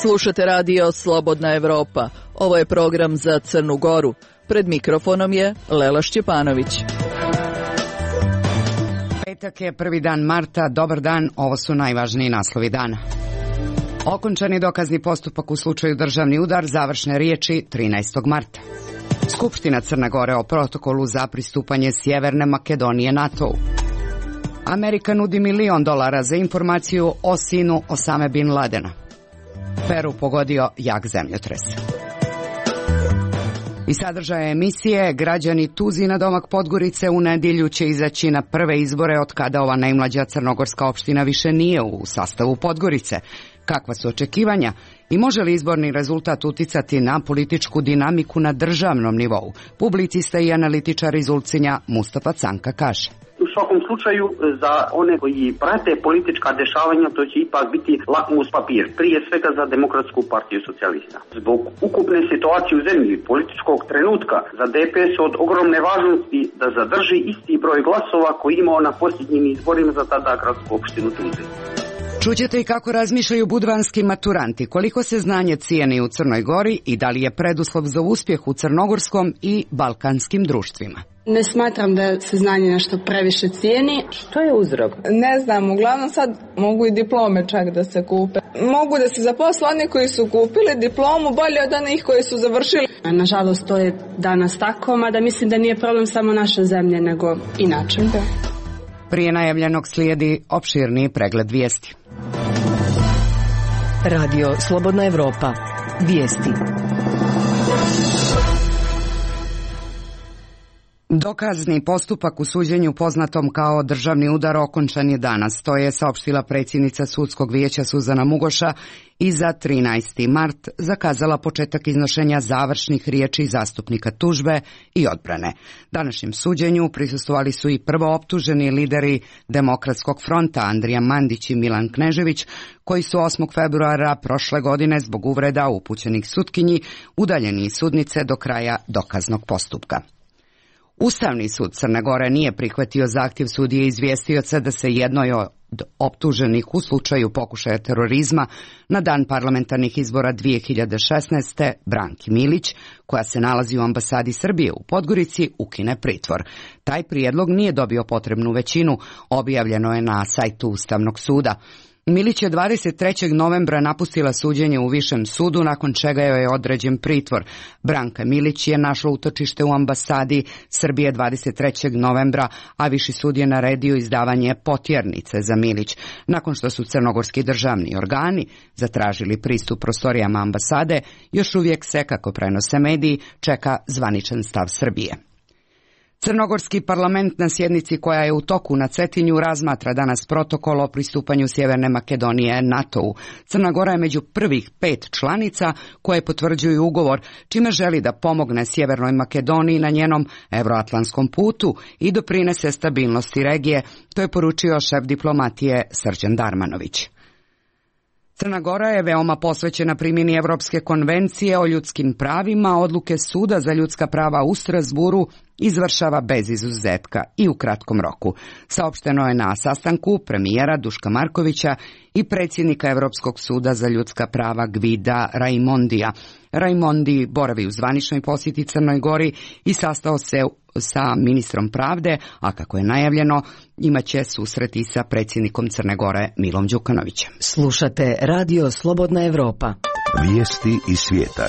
Slušate radio Slobodna Evropa. Ovo je program za Crnu Goru. Pred mikrofonom je Lela Šćepanović. Petak je 1. dan marta. Dobar dan, ovo su najvažniji naslovi dana. Okončani dokazni postupak u slučaju državni udar, završne riječi 13. marta. Skupština Crne Gore o protokolu za pristupanje Sjeverne Makedonije NATO-u. Amerika nudi $1 milion za informaciju o sinu Osame Bin Ladena. Peru pogodio jak zemljotres. I sadržaje emisije, građani Tuzina domak Podgorice u nedjelju će izaći na prve izbore od kada ova najmlađa crnogorska opština više nije u sastavu Podgorice. Kakva su očekivanja i može li izborni rezultat uticati na političku dinamiku na državnom nivou? Publicista i analitičar iz Ulcinja Mustafa Canka kaže. U svakom slučaju za one koji prate politička dešavanja to će ipak biti lakmus papir, prije svega za Demokratsku partiju socijalista. Zbog ukupne situacije u zemlji političkog trenutka za DPS od ogromne važnosti da zadrži isti broj glasova koji imao na posljednjim izborima za tada gradsku opštinu Tuzin. Čućete i kako razmišljaju budvanski maturanti, koliko se znanje cijeni u Crnoj Gori i da li je preduslov za uspjeh u crnogorskom i balkanskim društvima. Ne smatram da se znanje nešto previše cijeni. Što je uzrok? Ne znam, uglavnom sad mogu i diplome čak da se kupe. Mogu da se zaposle oni koji su kupili diplomu bolje od onih koji su završili. Nažalost, to je danas tako, mada mislim da nije problem samo naše zemlje, nego inače. Da. Prije najavljenog slijedi opširniji pregled vijesti. Radio Slobodna Evropa. Vijesti. Dokazni postupak u suđenju poznatom kao državni udar okončan je danas. To je saopštila predsjednica sudskog vijeća Suzana Mugoša i za 13. mart zakazala početak iznošenja završnih riječi zastupnika tužbe i odbrane. Današnjem suđenju prisustvovali su i prvooptuženi lideri Demokratskog fronta Andrija Mandić i Milan Knežević, koji su 8. februara prošle godine zbog uvreda upućenih sutkinji udaljeni iz sudnice do kraja dokaznog postupka. Ustavni sud Crne Gore nije prihvatio zahtjev sudije izvjestioca da se jednoj od optuženih u slučaju pokušaja terorizma na dan parlamentarnih izbora 2016. Branki Milić, koja se nalazi u ambasadi Srbije u Podgorici, ukine pritvor. Taj prijedlog nije dobio potrebnu većinu, objavljeno je na sajtu Ustavnog suda. Milić je 23. novembra napustila suđenje u Višem sudu, nakon čega joj je određen pritvor. Branka Milić je našla utočište u ambasadi Srbije 23. novembra, a Viši sud je naredio izdavanje potjernice za Milić. Nakon što su crnogorski državni organi zatražili pristup prostorijama ambasade, još uvijek se, kako prenose mediji, čeka zvaničan stav Srbije. Crnogorski parlament na sjednici koja je u toku na Cetinju razmatra danas protokol o pristupanju Sjeverne Makedonije NATO-u. Crna Gora je među prvih 5 članica koje potvrđuju ugovor, čime želi da pomogne Sjevernoj Makedoniji na njenom euroatlantskom putu i doprinese stabilnosti regije, to je poručio šef diplomatije Srđan Darmanović. Crna Gora je veoma posvećena primjeni Evropske konvencije o ljudskim pravima, odluke Suda za ljudska prava u Strasburu izvršava bez izuzetka i u kratkom roku. Saopšteno je na sastanku premijera Duška Markovića i predsjednika Europskog suda za ljudska prava Gvida Raimondija. Raimondi boravi u zvaničnoj posjeti Crnoj Gori i sastao se sa ministrom pravde, a kako je najavljeno, imaće susreti sa predsjednikom Crne Gore Milom Đukanovićem. Slušate radio Slobodna Evropa. Vijesti iz svijeta.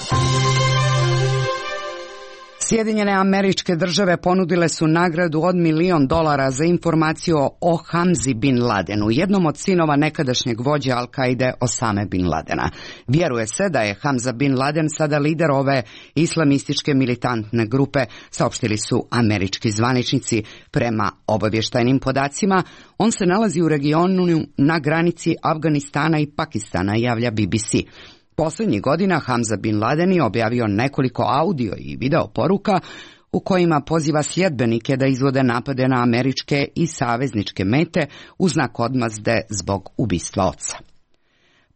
Sjedinjene Američke Države ponudile su nagradu od $1 milion za informaciju o Hamzi Bin Ladenu, jednom od sinova nekadašnjeg vođe Al-Kaide Osame Bin Ladena. Vjeruje se da je Hamza Bin Laden sada lider ove islamističke militantne grupe, saopštili su američki zvaničnici. Prema obavještajnim podacima, on se nalazi u regionu na granici Afganistana i Pakistana, javlja BBC. Posljednjih godina Hamza Bin Laden je objavio nekoliko audio i video poruka u kojima poziva sljedbenike da izvode napade na američke i savezničke mete u znak odmazde zbog ubistva oca.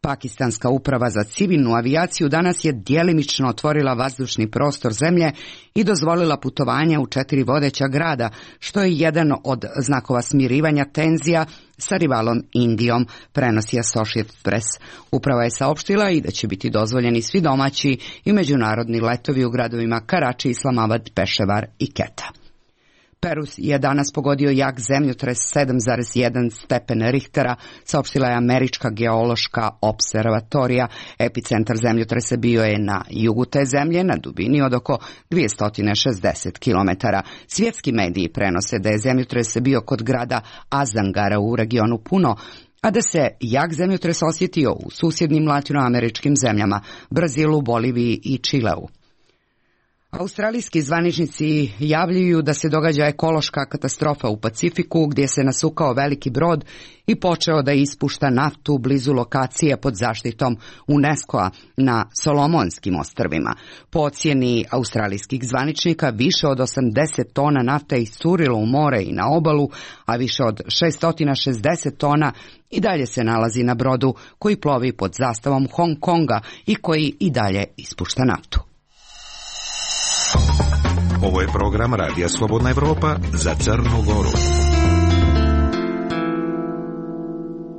Pakistanska uprava za civilnu avijaciju danas je djelimično otvorila vazdušni prostor zemlje i dozvolila putovanja u 4 vodeća grada, što je jedan od znakova smirivanja tenzija sa rivalom Indijom, prenosi Associated Press. Uprava je saopštila i da će biti dozvoljeni svi domaći i međunarodni letovi u gradovima Karači, Islamabad, Peševar i Keta. Peru je danas pogodio jak zemljotres 7,1 stepen Richtera, saopštila je Američka geološka observatorija. Epicentar zemljotresa bio je na jugu te zemlje, na dubini od oko 260 km. Svjetski mediji prenose da je zemljotres bio kod grada Azangara u regionu Puno, a da se jak zemljotres osjetio u susjednim latinoameričkim zemljama, Brazilu, Boliviji i Čileu. Australijski zvaničnici javljaju da se događa ekološka katastrofa u Pacifiku, gdje se nasukao veliki brod i počeo da ispušta naftu blizu lokacije pod zaštitom UNESCO-a na Solomonskim ostrvima. Po ocjeni australijskih zvaničnika, više od 80 tona nafte iscurilo u more i na obalu, a više od 660 tona i dalje se nalazi na brodu koji plovi pod zastavom Hong Konga i koji i dalje ispušta naftu. Ovo je program Radija Slobodna Evropa za Crnu Goru.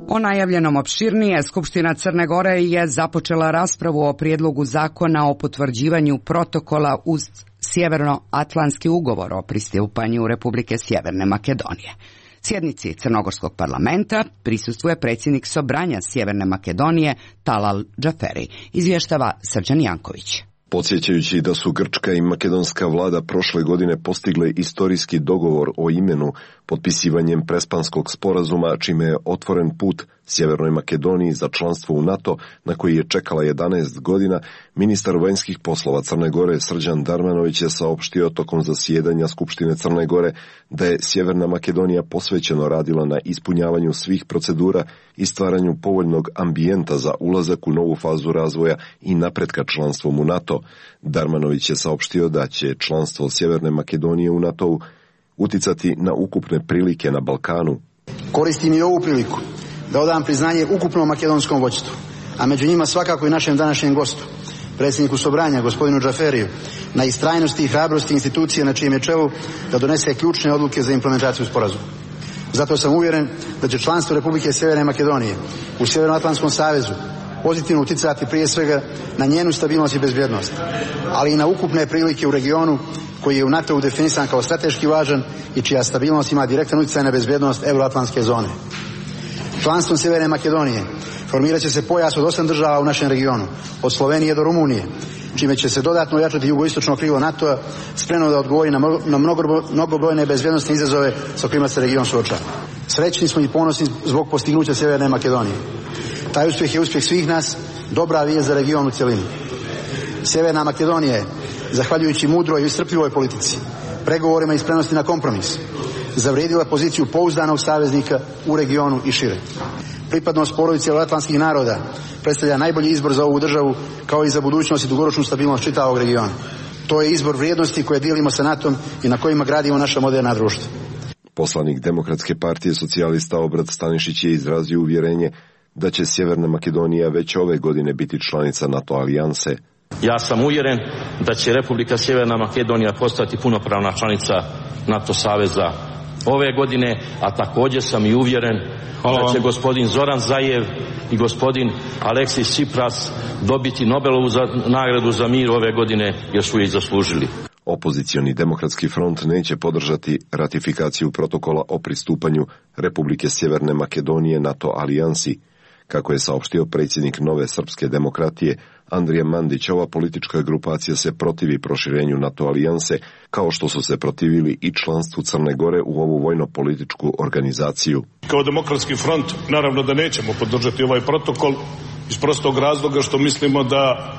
O najavljenom opširnije, Skupština Crne Gore je započela raspravu o prijedlogu zakona o potvrđivanju protokola uz Sjevernoatlantski ugovor o pristupanju Republike Sjeverne Makedonije. Sjednici Crnogorskog parlamenta prisustvuje predsjednik Sobranja Sjeverne Makedonije Talal Džaferi, izvještava Srđan Janković. Podsjećajući da su grčka i makedonska vlada prošle godine postigle istorijski dogovor o imenu potpisivanjem Prespanskog sporazuma, čime je otvoren put Sjevernoj Makedoniji za članstvo u NATO, na koji je čekala 11 godina, ministar vanjskih poslova Crne Gore Srđan Darmanović je saopštio tokom zasjedanja Skupštine Crne Gore da je Sjeverna Makedonija posvećeno radila na ispunjavanju svih procedura i stvaranju povoljnog ambijenta za ulazak u novu fazu razvoja i napretka članstvom u NATO. Darmanović je saopštio da će članstvo Sjeverne Makedonije u NATO-u uticati na ukupne prilike na Balkanu. Koristim i ovu priliku da odam priznanje ukupnom makedonskom vođstvu, a među njima svakako i našem današnjem gostu, predsjedniku Sobranja, gospodinu Džaferiju, na istrajnosti i hrabrosti institucije na čijem je čelu da donese ključne odluke za implementaciju sporazuma. Zato sam uvjeren da će članstvo Republike Sjeverne Makedonije u Sjevernoatlantskom savezu pozitivno uticati prije svega na njenu stabilnost i bezbjednost, ali i na ukupne prilike u regionu koji je u NATO-u definisan kao strateški važan i čija stabilnost ima direktan utjecaj na bezbjednost euroatlantske zone. Članstvom Sjeverne Makedonije formirat će se pojas od 8 država u našem regionu, od Slovenije do Rumunije, čime će se dodatno ojačati jugoistočno krilo NATO-a, spremno da odgovori na mnogobrojne bezbjednosne izazove sa kojima se region suočava. Srećni smo i ponosni zbog postignuća Sjeverne Makedonije. Taj uspjeh je uspjeh svih nas, dobra vijest za region u cjelini. Sjeverna Makedonija je, zahvaljujući mudroj i iscrpljivoj politici, pregovorima i spremnosti na kompromis, zavrijedila poziciju pouzdanog saveznika u regionu i šire. Pripadnost porodici euroatlantskih naroda predstavlja najbolji izbor za ovu državu, kao i za budućnost i dugoročnu stabilnost čitavog regiona. To je izbor vrijednosti koje dijelimo sa NATO-om i na kojima gradimo naša moderna društva. Poslanik Demokratske partije socijalista Obrad Stanišić je izrazio uvjerenje da će Sjeverna Makedonija već ove godine biti članica NATO alijanse. Ja sam uvjeren da će Republika Sjeverna Makedonija postati punopravna članica NATO saveza ove godine, a također sam i uvjeren da će gospodin Zoran Zajev i gospodin Aleksis Tsipras dobiti Nobelovu nagradu za mir ove godine, jer su je i zaslužili. Opozicioni Demokratski front neće podržati ratifikaciju protokola o pristupanju Republike Sjeverne Makedonije NATO alijansi. Kako je saopštio predsjednik Nove srpske demokratije Andrija Mandić, ova politička grupacija se protivi proširenju NATO alijanse, kao što su se protivili i članstvu Crne Gore u ovu vojno-političku organizaciju. Kao Demokratski front naravno da nećemo podržati ovaj protokol iz prostog razloga što mislimo da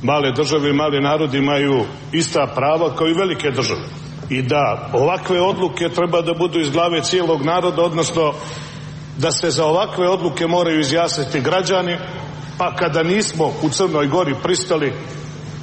male države i mali narodi imaju ista prava kao i velike države i da ovakve odluke treba da budu iz glave cijelog naroda, odnosno da se za ovakve odluke moraju izjasniti građani, pa kada nismo u Crnoj Gori pristali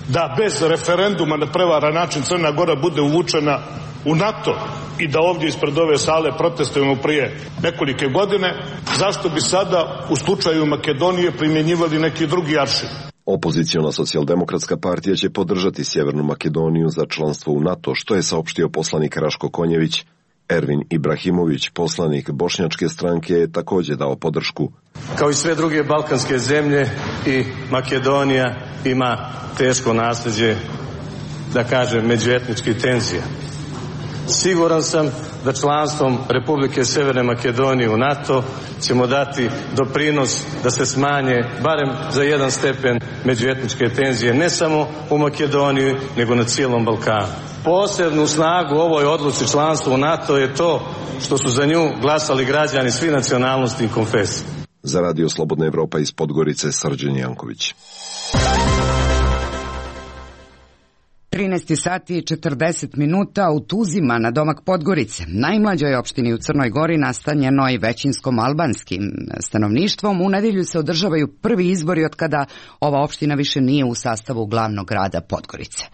da bez referenduma na prevaran način Crna Gora bude uvučena u NATO i da ovdje ispred ove sale protestujemo prije nekolike godine, zašto bi sada u slučaju Makedonije primjenjivali neki drugi aršin? Opoziciona socijaldemokratska partija će podržati Sjevernu Makedoniju za članstvo u NATO, što je saopštio poslanik Raško Konjević. Ervin Ibrahimović, poslanik Bošnjačke stranke, je također dao podršku. Kao i sve druge balkanske zemlje, i Makedonija ima teško nasljeđe, da kažem, međuetničkih tenzija. Siguran sam da članstvom Republike Sjeverne Makedonije u NATO ćemo dati doprinos da se smanje barem za 1 stepen međuetničke tenzije, ne samo u Makedoniji, nego na cijelom Balkanu. Posebnu snagu ovoj odluci članstva u NATO je to što su za nju glasali građani svih nacionalnosti i konfesija. Za Radio Slobodna Evropa iz Podgorice, Srđan Janković. 13 sati i 40 minuta u Tuzima na domak Podgorice, najmlađoj opštini u Crnoj Gori nastanjenoj većinskom albanskim stanovništvom. U nedjelju se održavaju prvi izbori od kada ova opština više nije u sastavu glavnog grada Podgorice.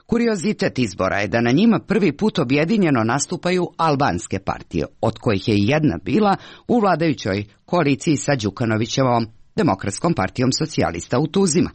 Kuriozitet izbora je da na njima prvi put objedinjeno nastupaju albanske partije, od kojih je i jedna bila u vladajućoj koaliciji sa Đukanovićevom Demokratskom partijom socijalista u Tuzima.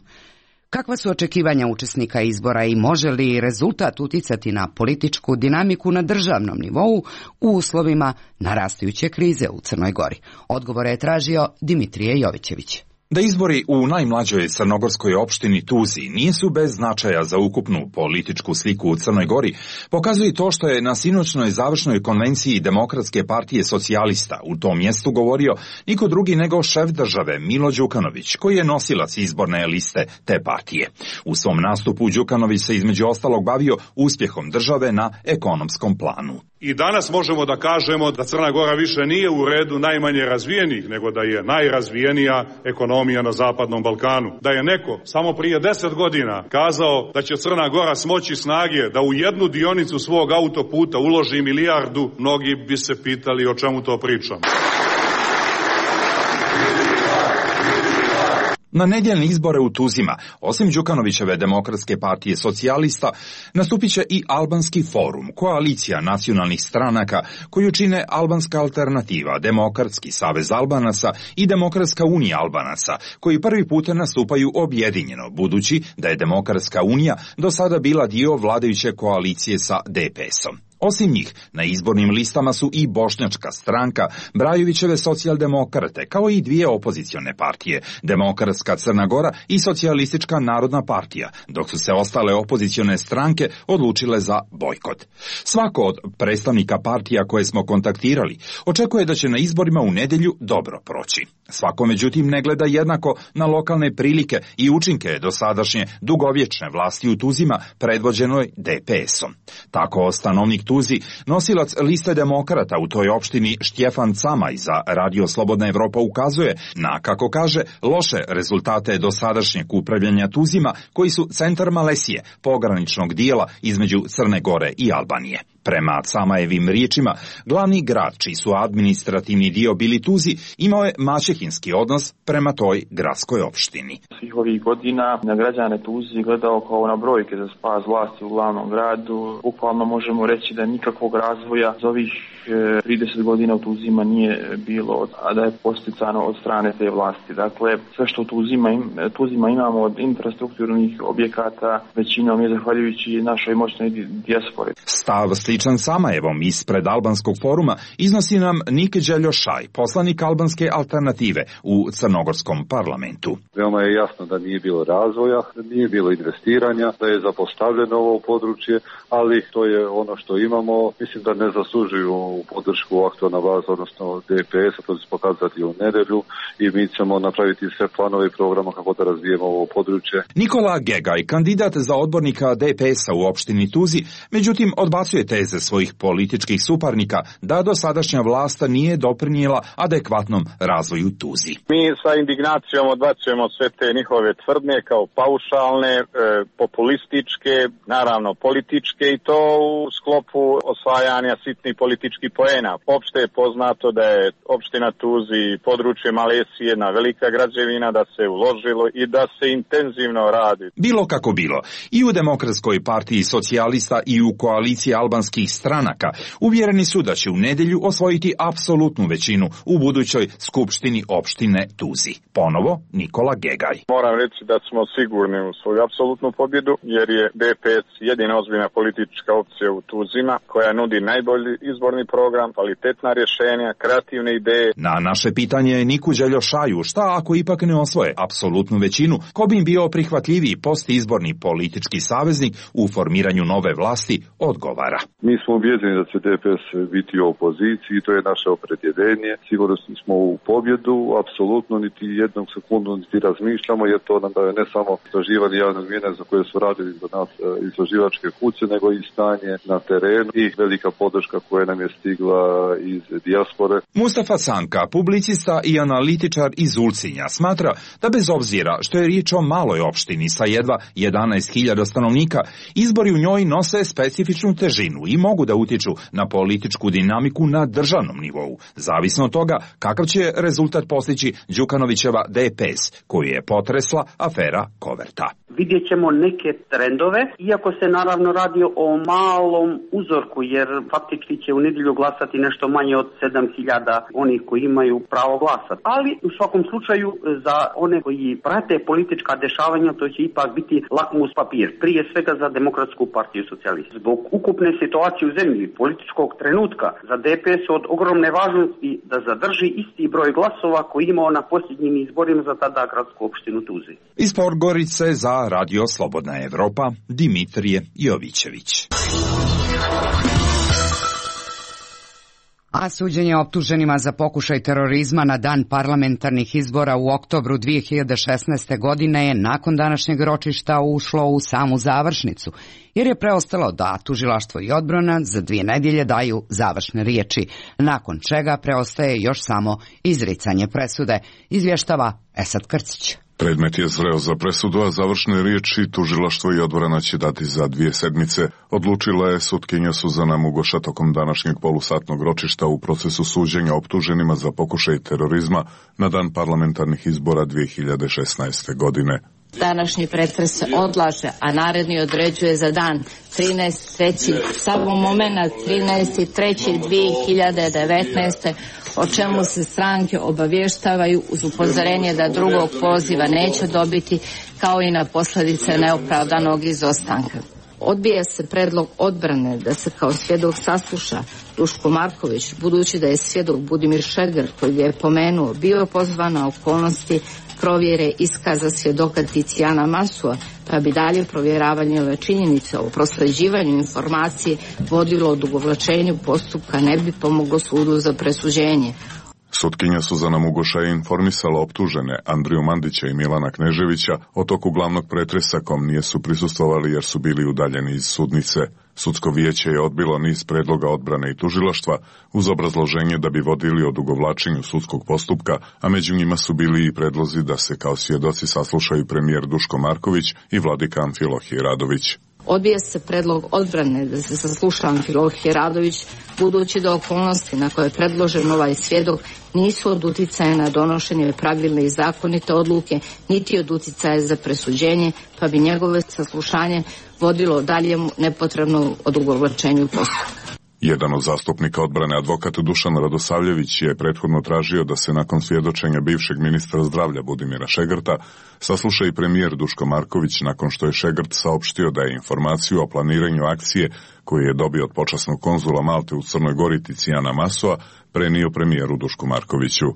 Kakva su očekivanja učesnika izbora i može li rezultat uticati na političku dinamiku na državnom nivou u uslovima narastajuće krize u Crnoj Gori? Odgovore je tražio Dimitrije Jovićević. Da izbori u najmlađoj crnogorskoj opštini Tuzi nisu bez značaja za ukupnu političku sliku u Crnoj Gori, pokazuje to što je na sinoćnoj završnoj konvenciji Demokratske partije socijalista u tom mjestu govorio niko drugi nego šef države Milo Đukanović, koji je nosilac izborne liste te partije. U svom nastupu Đukanović se između ostalog bavio uspjehom države na ekonomskom planu. I danas možemo da kažemo da Crna Gora više nije u redu najmanje razvijenih, nego da je najrazvijenija ekonomija na Zapadnom Balkanu. Da je neko samo prije 10 godina kazao da će Crna Gora smoći snage da u jednu dionicu svog autoputa uloži 1 milijardu, mnogi bi se pitali o čemu to pričam. Na nedjeljne izbore u Tuzima, osim Đukanovićeve Demokratske partije socijalista, nastupit će i Albanski forum, koalicija nacionalnih stranaka koju čine Albanska alternativa, Demokratski savez Albanaca i Demokratska unija Albanaca, koji prvi put nastupaju objedinjeno, budući da je Demokratska unija do sada bila dio vladajuće koalicije sa DPS-om. Osim njih, na izbornim listama su i Bošnjačka stranka, Brajovićeve socijaldemokrate, kao i 2 opozicione partije, Demokratska Crna Gora i Socijalistička narodna partija, dok su se ostale opozicione stranke odlučile za bojkot. Svako od predstavnika partija koje smo kontaktirali očekuje da će na izborima u nedjelju dobro proći. Svako međutim ne gleda jednako na lokalne prilike i učinke dosadašnje dugovječne vlasti u Tuzima predvođenoj DPS-om. Tako stanovnik Tuzi, nosilac liste demokrata u toj opštini Štjefan Camaj za Radio Slobodna Evropa ukazuje na, kako kaže, loše rezultate dosadašnjeg upravljanja Tuzima, koji su centar Malesije, pograničnog dijela između Crne Gore i Albanije. Prema Camajevim riječima, glavni grad, čiji su administrativni dio bili Tuzi, imao je maćehinski odnos prema toj gradskoj opštini. Svih ovih godina na građane Tuzi gledao kao na brojke za spas vlasti u glavnom gradu. Bukvalno možemo reći da nikakvog razvoja za ovih 30 godina u Tuzima nije bilo, a da je posticano od strane te vlasti. Dakle, sve što u Tuzima imamo od infrastrukturnih objekata, većinom je zahvaljujući našoj moćnoj dijaspori. Stav sličan Samajevom ispred Albanskog foruma iznosi nam Nik Đeljošaj, poslanik Albanske alternative u Crnogorskom parlamentu. Veoma je jasno da nije bilo razvoja, da nije bilo investiranja, da je zapostavljeno ovo područje, ali to je ono što imamo. Mislim da ne zaslužuju podršku aktualna vlast, odnosno DPS-a, to će se pokazati u nedjelju i mi ćemo napraviti sve planove i programa kako da razvijemo ovo područje. Nikola Gegaj, kandidat za odbornika DPS-a u opštini Tuzi, međutim odbacuje teze svojih političkih suparnika da dosadašnja vlast nije doprinijela adekvatnom razvoju Tuzi. Mi sa indignacijom odbacujemo sve te njihove tvrdnje kao paušalne, populističke, naravno političke, i to u sklopu osvajanja sitnih političkih poena. Opšte je poznato da je opština Tuzi područje Malesije jedna velika građevina, da se uložilo i da se intenzivno radi. Bilo kako bilo, i u Demokratskoj partiji socijalista i u koaliciji Albanske albanskih stranaka uvjereni su da će u nedjelju osvojiti apsolutnu većinu u budućoj skupštini opštine Tuzi. Ponovo Nikola Gegaj. Moram reći da smo sigurni u svoju apsolutnu pobjedu, jer je DPS jedina ozbiljna politička opcija u Tuzima koja nudi najbolji izborni program, kvalitetna rješenja, kreativne ideje. Na naše pitanje Niku Đeljošaju šta ako ipak ne osvoje apsolutnu većinu, ko bi im bio prihvatljiviji postizborni politički saveznik u formiranju nove vlasti, odgovara. Mi smo ubjeđeni da će DPS biti u opoziciji, to je naše opredjeljenje. Sigurno smo u pobjedu, apsolutno niti jednog sekundu niti razmišljamo, jer to nam daje ne samo istraživanje javnog mnijenja za koje su radili za nas istraživačke kuće, nego i stanje na terenu i velika podrška koja nam je stigla iz dijaspore. Mustafa Sanka, publicista i analitičar iz Ulcinja, smatra da bez obzira što je riječ o maloj opštini sa jedva 11.000 stanovnika, izbori u njoj nose specifičnu težinu i mogu da utječu na političku dinamiku na državnom nivou, zavisno od toga kakav će rezultat postići Đukanovićeva DPS, koju je potresla afera Koverta. Vidjet ćemo neke trendove, iako se naravno radi o malom uzorku, jer faktički će u nedjelju glasati nešto manje od 7.000 onih koji imaju pravo glasa. Ali u svakom slučaju za one koji prate politička dešavanja to će ipak biti lakmus papir, prije svega za Demokratsku partiju socijalista. Zbog ukupne situacije u zemlji, političkog trenutka, za DPS od ogromne važnosti da zadrži isti broj glasova koji imao na posljednjim izborima za tada gradsku opštinu Tuzi. Iz Podgorice za Radio Slobodna Evropa, Dimitrije Jovićević. A suđenje optuženima za pokušaj terorizma na dan parlamentarnih izbora u oktobru 2016. godine je nakon današnjeg ročišta ušlo u samu završnicu, jer je preostalo da tužilaštvo i odbrana za 2 nedjelje daju završne riječi, nakon čega preostaje još samo izricanje presude, izvještava Esad Krcić. Predmet je zreo za presudu, a završne riječi tužilaštvo i odbrana će dati za 2 sedmice, odlučila je sutkinja Suzana Mugoša tokom današnjeg polusatnog ročišta u procesu suđenja optuženima za pokušaj terorizma na dan parlamentarnih izbora 2016. godine. Današnji pretres se odlaže, a naredni određuje za dan 13.3. samo moment 13.3.2019. o čemu se stranke obavještavaju uz upozorenje da drugog poziva neće dobiti, kao i na posljedice neopravdanog izostanka. Odbija se predlog odbrane da se kao svjedok sasluša Duško Marković, budući da je svjedok Budimir Šegar, koji je pomenuo, bio pozvan na okolnosti provjere iskaza svjedoka Ticijana Masua, pa bi dalje provjeravanje ove činjenice o prosljeđivanju informacije vodilo odugovlačenju postupka, ne bi pomoglo sudu za presuđenje. Sutkinja Suzana Mugoša je informisala optužene Andriju Mandića i Milana Kneževića o toku glavnog pretresa kom nisu prisustvovali jer su bili udaljeni iz sudnice. Sudsko vijeće je odbilo niz predloga odbrane i tužilaštva uz obrazloženje da bi vodili odugovlačenju sudskog postupka, a među njima su bili i predlozi da se kao svjedoci saslušaju premijer Duško Marković i vladika Amfilohije Radović. Odbija se predlog odbrane da se sasluša Amfilohije Radović, budući da okolnosti na koje je predložen ovaj svjedok nisu od uticaja na donošenje pravilne i zakonite odluke, niti od uticaja za presuđenje, pa bi njegove saslušanje vodilo daljemu nepotrebnom odugovlačenju postupka. Jedan od zastupnika odbrane, advokat Dušan Radosavljević, je prethodno tražio da se nakon svjedočenja bivšeg ministra zdravlja Budimira Šegrta sasluša i premijer Duško Marković, nakon što je Šegrt saopštio da je informaciju o planiranju akcije koju je dobio od počasnog konzula Malte u Crnoj Gori Ticijana Masua prenio premijeru Dušku Markoviću.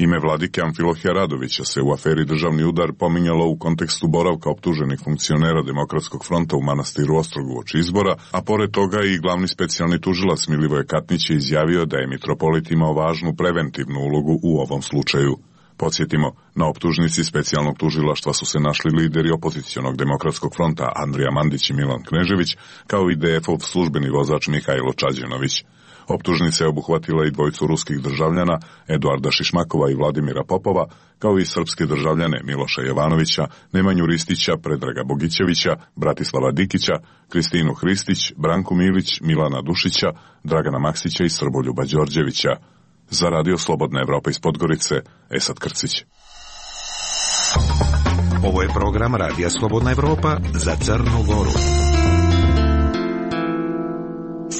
Ime vladike Amfilohija Radovića se u aferi Državni udar pominjalo u kontekstu boravka optuženih funkcionera Demokratskog fronta u manastiru Ostrogu uoči izbora, a pored toga i glavni specijalni tužilac Milivoje Katnić je izjavio da je mitropolit imao važnu preventivnu ulogu u ovom slučaju. Podsjetimo, na optužnici specijalnog tužilaštva su se našli lideri opozicionog Demokratskog fronta Andrija Mandić i Milan Knežević, kao i DF-ov službeni vozač Mihajlo Čađenović. Optužnica je obuhvatila i dvojicu ruskih državljana, Eduarda Šišmakova i Vladimira Popova, kao i srpske državljane Miloša Jovanovića, Nemanju Ristića, Predraga Bogićevića, Bratislava Dikića, Kristinu Hristić, Branku Milić, Milana Dušića, Dragana Maksića i Srboljuba Đorđevića. Za Radio Slobodna Evropa iz Podgorice, Esad Krcić. Ovo je program Radija Slobodna Evropa za Crnu Goru.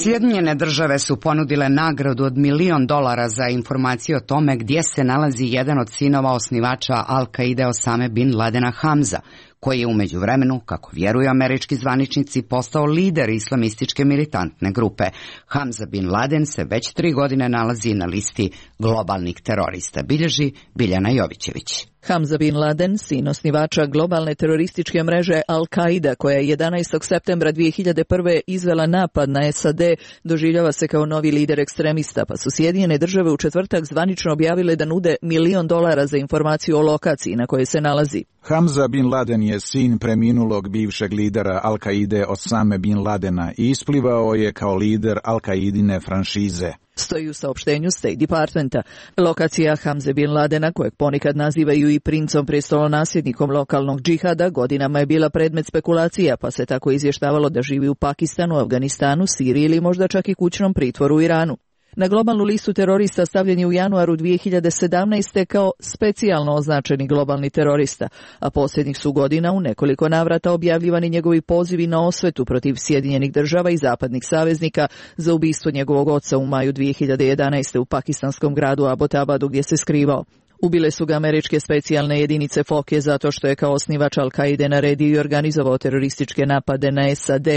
Sjedinjene države su ponudile nagradu od $1 milion za informaciju o tome gdje se nalazi jedan od sinova osnivača Al-Kaide Osame bin Ladena Hamza, koji je u međuvremenu, kako vjeruju američki zvaničnici, postao lider islamističke militantne grupe. Hamza bin Laden se već 3 godine nalazi na listi globalnih terorista, bilježi Biljana Jovićević. Hamza bin Laden, sin osnivača globalne terorističke mreže Al-Qaida, koja je 11. septembra 2001. izvela napad na SAD, doživljava se kao novi lider ekstremista, pa su Sjedinjene države u četvrtak zvanično objavile da nude $1 milion za informaciju o lokaciji na kojoj se nalazi. Hamza bin Laden je sin preminulog bivšeg lidera Al-Kaide Osame bin Ladena i isplivao je kao lider Al-Kaidine franšize. Stoji u saopštenju State Departmenta. Lokacija Hamze bin Ladena, kojeg ponekad nazivaju i princom prestolonasljednikom lokalnog džihada, godinama je bila predmet spekulacija, pa se tako izvještavalo da živi u Pakistanu, Afganistanu, Siriji ili možda čak i kućnom pritvoru u Iranu. Na globalnu listu terorista stavljen je u januaru 2017. kao specijalno označeni globalni terorista, a posljednjih su godina u nekoliko navrata objavljivani njegovi pozivi na osvetu protiv Sjedinjenih država i zapadnih saveznika za ubistvo njegovog oca u maju 2011. u pakistanskom gradu Abbottabadu gdje se skrivao. Ubile su ga američke specijalne jedinice FOKE zato što je kao osnivač Al-Kaide naredio i organizovao terorističke napade na SAD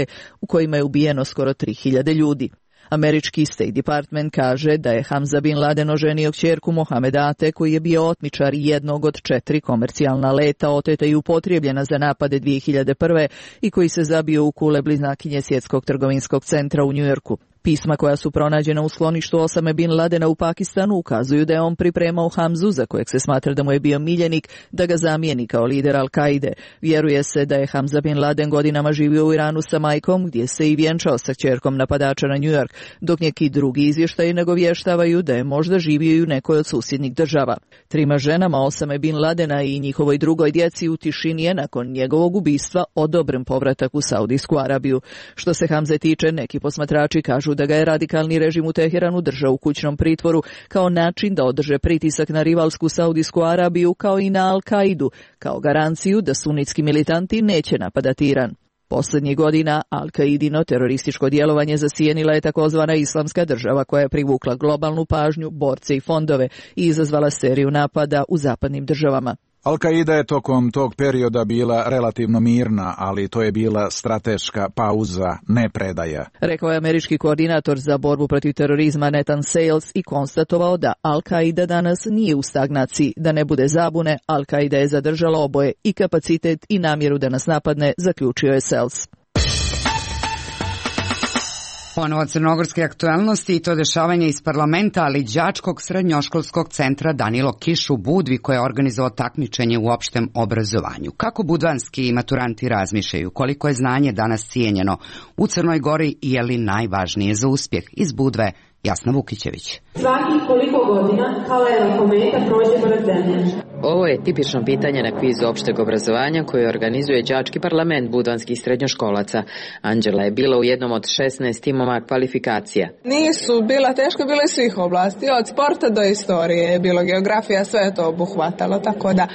u kojima je ubijeno skoro 3000 ljudi. Američki State Department kaže da je Hamza bin Laden oženio kćerku Mohameda Ate, koji je bio otmičar jednog od 4 komercijalna leta oteta i upotrijebljena za napade 2001. i koji se zabio u kule bliznakinje Svjetskog trgovinskog centra u Njujorku. Pisma koja su pronađena u skloništu Osame bin Ladena u Pakistanu ukazuju da je on pripremao Hamzu, za kojeg se smatra da mu je bio miljenik, da ga zamijeni kao lider Al-Kaide. Vjeruje se da je Hamza bin Laden godinama živio u Iranu sa majkom, gdje se i vjenčao sa kćerkom napadača na New York, dok neki drugi izvještaji nagovještavaju da je možda živio i u nekoj od susjednih država. 3 ženama Osame bin Ladena i njihovoj drugoj djeci u tišini je nakon njegovog ubistva odobren povratak u Saudijsku Arabiju. Što se Hamze tiče, neki posmatrači kažu da ga je radikalni režim u Teheranu držao u kućnom pritvoru kao način da održe pritisak na rivalsku Saudijsku Arabiju kao i na Al-Kaidu, kao garanciju da sunitski militanti neće napadati Iran. Posljednjih godina Al-Kaidino terorističko djelovanje zasijenila je takozvana Islamska država koja je privukla globalnu pažnju, borce i fondove i izazvala seriju napada u zapadnim državama. Al-Kaida je tokom tog perioda bila relativno mirna, ali to je bila strateška pauza, ne predaja. Rekao je američki koordinator za borbu protiv terorizma Nathan Sales i konstatovao da Al-Kaida danas nije u stagnaciji. Da ne bude zabune, Al-Kaida je zadržala oboje, i kapacitet i namjeru da nas napadne, zaključio je Sales. Ponovo crnogorske aktualnosti i to dešavanje iz parlamenta, ali đačkog srednjoškolskog centra Danilo Kiš u Budvi, koje je organizovao takmičenje u opštem obrazovanju. Kako budvanski maturanti razmišljaju, koliko je znanje danas cijenjeno u Crnoj Gori i je li najvažnije za uspjeh? Iz Budve, Jasna Vukićević. Svakih koliko godina halera kometa prođe pored zemlje? Ovo je tipično pitanje na kvizu opšteg obrazovanja koje organizuje đački parlament budvanskih srednjoškolaca. Anđela je bila u jednom od 16 timova kvalifikacija. Nisu bila teško, bilo je svih oblasti, od sporta do istorije je bilo, geografija, sve je to obuhvatalo, tako da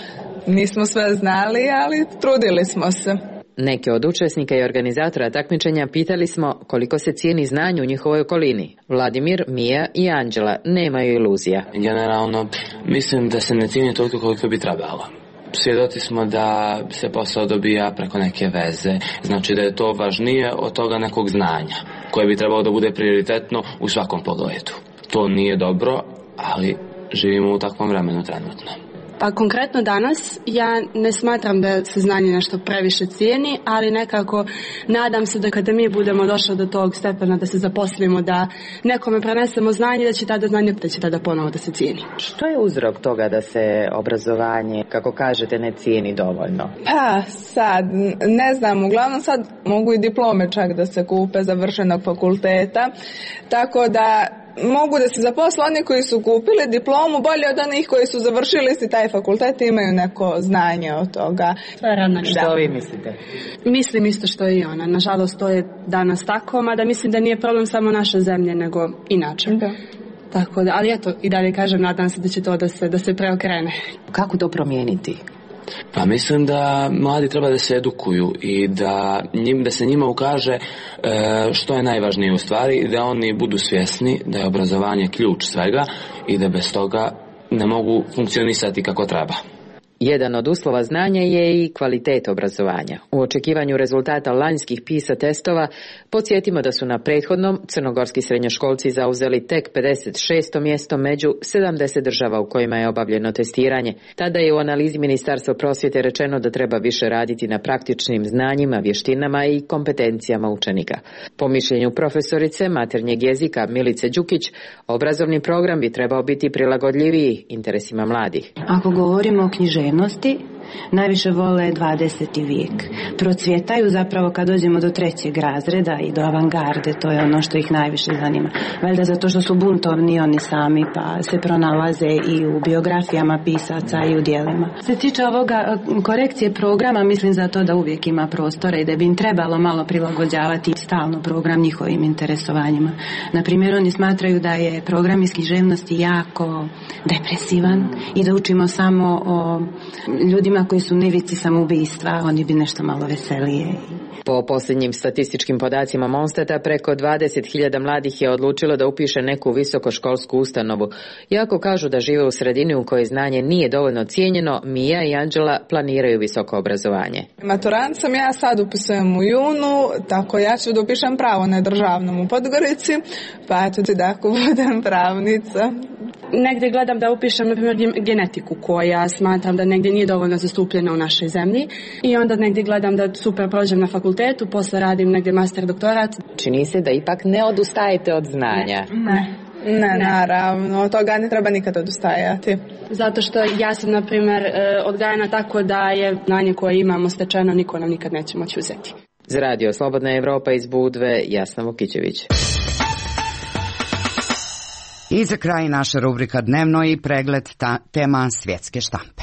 nismo sve znali, ali trudili smo se. Neke od učesnika i organizatora takmičenja pitali smo koliko se cijeni znanje u njihovoj okolini. Vladimir, Mija i Anđela nemaju iluzija. Generalno, mislim da se ne cijeni toliko koliko bi trebalo. Svjedoci smo da se posao dobija preko neke veze, znači da je to važnije od toga nekog znanja, koje bi trebalo da bude prioritetno u svakom pogledu. To nije dobro, ali živimo u takvom vremenu trenutno. Pa konkretno danas ja ne smatram da se znanje nešto previše cijeni, ali nekako nadam se da kada mi budemo došli do tog stepena da se zaposlimo, da nekome prenesemo znanje, da će tada ponovo da se cijeni. Što je uzrok toga da se obrazovanje, kako kažete, ne cijeni dovoljno? Pa sad, ne znam, uglavnom sad mogu i diplome čak da se kupe završenog fakulteta, tako da mogu da se zaposle oni koji su kupili diplomu bolje od onih koji su završili si taj fakultet i imaju neko znanje od toga. Što vi mislite? Mislim isto što i ona. Nažalost, to je danas tako, mada mislim da nije problem samo naše zemlje, nego inače. Da. Tako da, ali eto, i dalje kažem, nadam se da će to da se preokrene. Kako to promijeniti? Pa mislim da mladi treba da se edukuju i da se njima ukaže što je najvažnije u stvari i da oni budu svjesni da je obrazovanje ključ svega i da bez toga ne mogu funkcionisati kako treba. Jedan od uslova znanja je i kvalitet obrazovanja. U očekivanju rezultata lanjskih PISA testova, podsjetimo da su na prethodnom crnogorski srednjoškolci zauzeli tek 56. mjesto među 70 država u kojima je obavljeno testiranje. Tada je u analizi Ministarstva prosvjete rečeno da treba više raditi na praktičnim znanjima, vještinama i kompetencijama učenika. Po mišljenju profesorice maternjeg jezika Milice Đukić, obrazovni program bi trebao biti prilagodljiviji interesima mladih. Ako govorimo o književnosti, najviše vole 20. vijek. Procvjetaju zapravo kad dođemo do 3. razreda i do avangarde, to je ono što ih najviše zanima. Valjda zato što su buntovni oni sami, pa se pronalaze i u biografijama pisaca i u djelima. Se tiče ovoga korekcije programa, mislim za to da uvijek ima prostora i da bi im trebalo malo prilagođavati stalno program njihovim interesovanjima. Na primjer, oni smatraju da je program iz književnosti jako depresivan i da učimo samo o ljudima koji su u ivici samoubistva, oni bi nešto malo veselije. Po posljednjim statističkim podacima Monstata, preko 20.000 mladih je odlučilo da upiše neku visokoškolsku ustanovu. Iako kažu da žive u sredini u kojoj znanje nije dovoljno cijenjeno, Mija i Anđela planiraju visoko obrazovanje. Maturant sam, ja sad upisujem u junu, tako ja ću da upišem pravo na državnom u Podgorici, pa eto da ako budem pravnica. Negdje gledam da upišem, na primjer, genetiku, koja smatram da negdje nije dovoljno zastupljena u našoj zemlji, i onda negdje gledam da super prođem na fakultetu, posle radim negdje master doktorat. Čini se da ipak ne odustajete od znanja. Ne, naravno, od toga ne treba nikad odustajati. Zato što ja sam, na primjer, odgajana tako da je znanje koje imamo stečeno, niko nam nikad neće moći uzeti. Za Radio Slobodna Evropa iz Budve, Jasna Vukićević. I za kraj naša rubrika Dnevno i pregled tema svjetske štampe.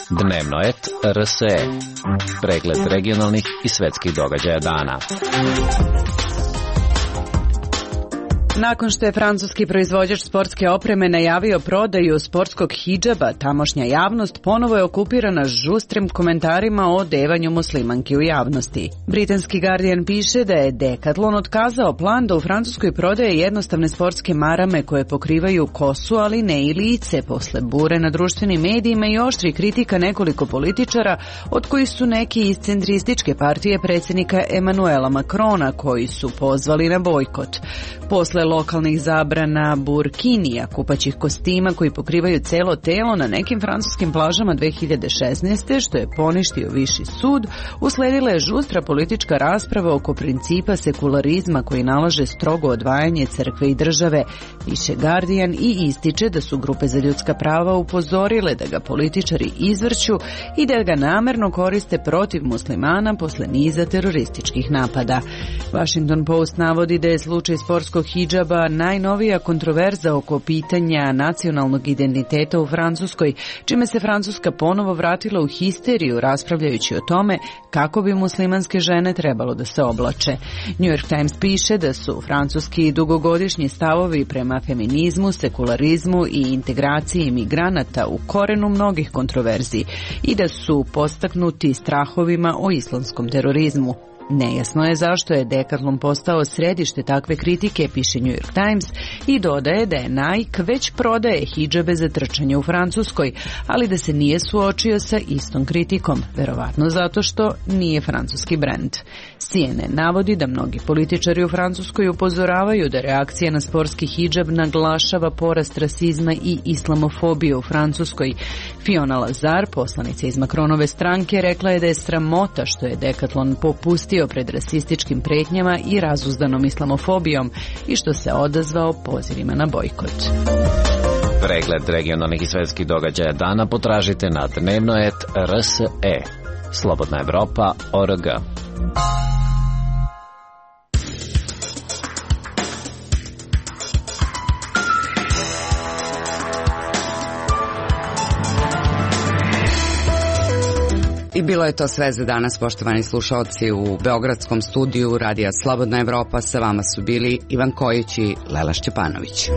Dnevnoet RSE. Pregled regionalnih i svjetskih događaja dana. Nakon što je francuski proizvođač sportske opreme najavio prodaju sportskog hidžaba, tamošnja javnost ponovo je okupirana žustrim komentarima o odevanju muslimanki u javnosti. Britanski Guardian piše da je Decathlon otkazao plan da u Francuskoj prodaje jednostavne sportske marame koje pokrivaju kosu, ali ne i lice, posle bure na društvenim medijima i oštri kritika nekoliko političara, od kojih su neki iz centrističke partije predsjednika Emmanuela Macrona, koji su pozvali na bojkot. Posle lokalnih zabrana burkinija, kupaćih kostima koji pokrivaju celo telo na nekim francuskim plažama 2016. što je poništio viši sud, usledila je žustra politička rasprava oko principa sekularizma koji nalaže strogo odvajanje crkve i države, piše Guardian i ističe da su grupe za ljudska prava upozorile da ga političari izvrću i da ga namerno koriste protiv muslimana posle niza terorističkih napada. Washington Post navodi da je slučaj sportskog hidžaba najnovija kontroverza oko pitanja nacionalnog identiteta u Francuskoj, čime se Francuska ponovo vratila u histeriju raspravljajući o tome kako bi muslimanske žene trebalo da se oblače. New York Times piše da su francuski dugogodišnji stavovi prema feminizmu, sekularizmu i integraciji imigranata u korenu mnogih kontroverzi i da su podstaknuti strahovima o islamskom terorizmu. Nejasno je zašto je Decathlon postao središte takve kritike, piše New York Times, i dodaje da je Nike već prodaje hidžabe za trčanje u Francuskoj, ali da se nije suočio sa istom kritikom, verovatno zato što nije francuski brend. CNN navodi da mnogi političari u Francuskoj upozoravaju da reakcija na sportski hidžab naglašava porast rasizma i islamofobije u Francuskoj. Fiona Lazar, poslanica iz Macronove stranke, rekla je da je sramota što je Decathlon popustio pred rasističkim pretnjama i razuzdanom islamofobijom i što se odazvao pozivima na bojkot. Pregled regionalnih i svjetskih događaja dana potražite na dnevnoet.rse. Slobodna Evropa.org. I bilo je to sve za danas, poštovani slušalci. U beogradskom studiju Radija Slobodna Evropa sa vama su bili Ivan Kojić i Lela Šćepanović.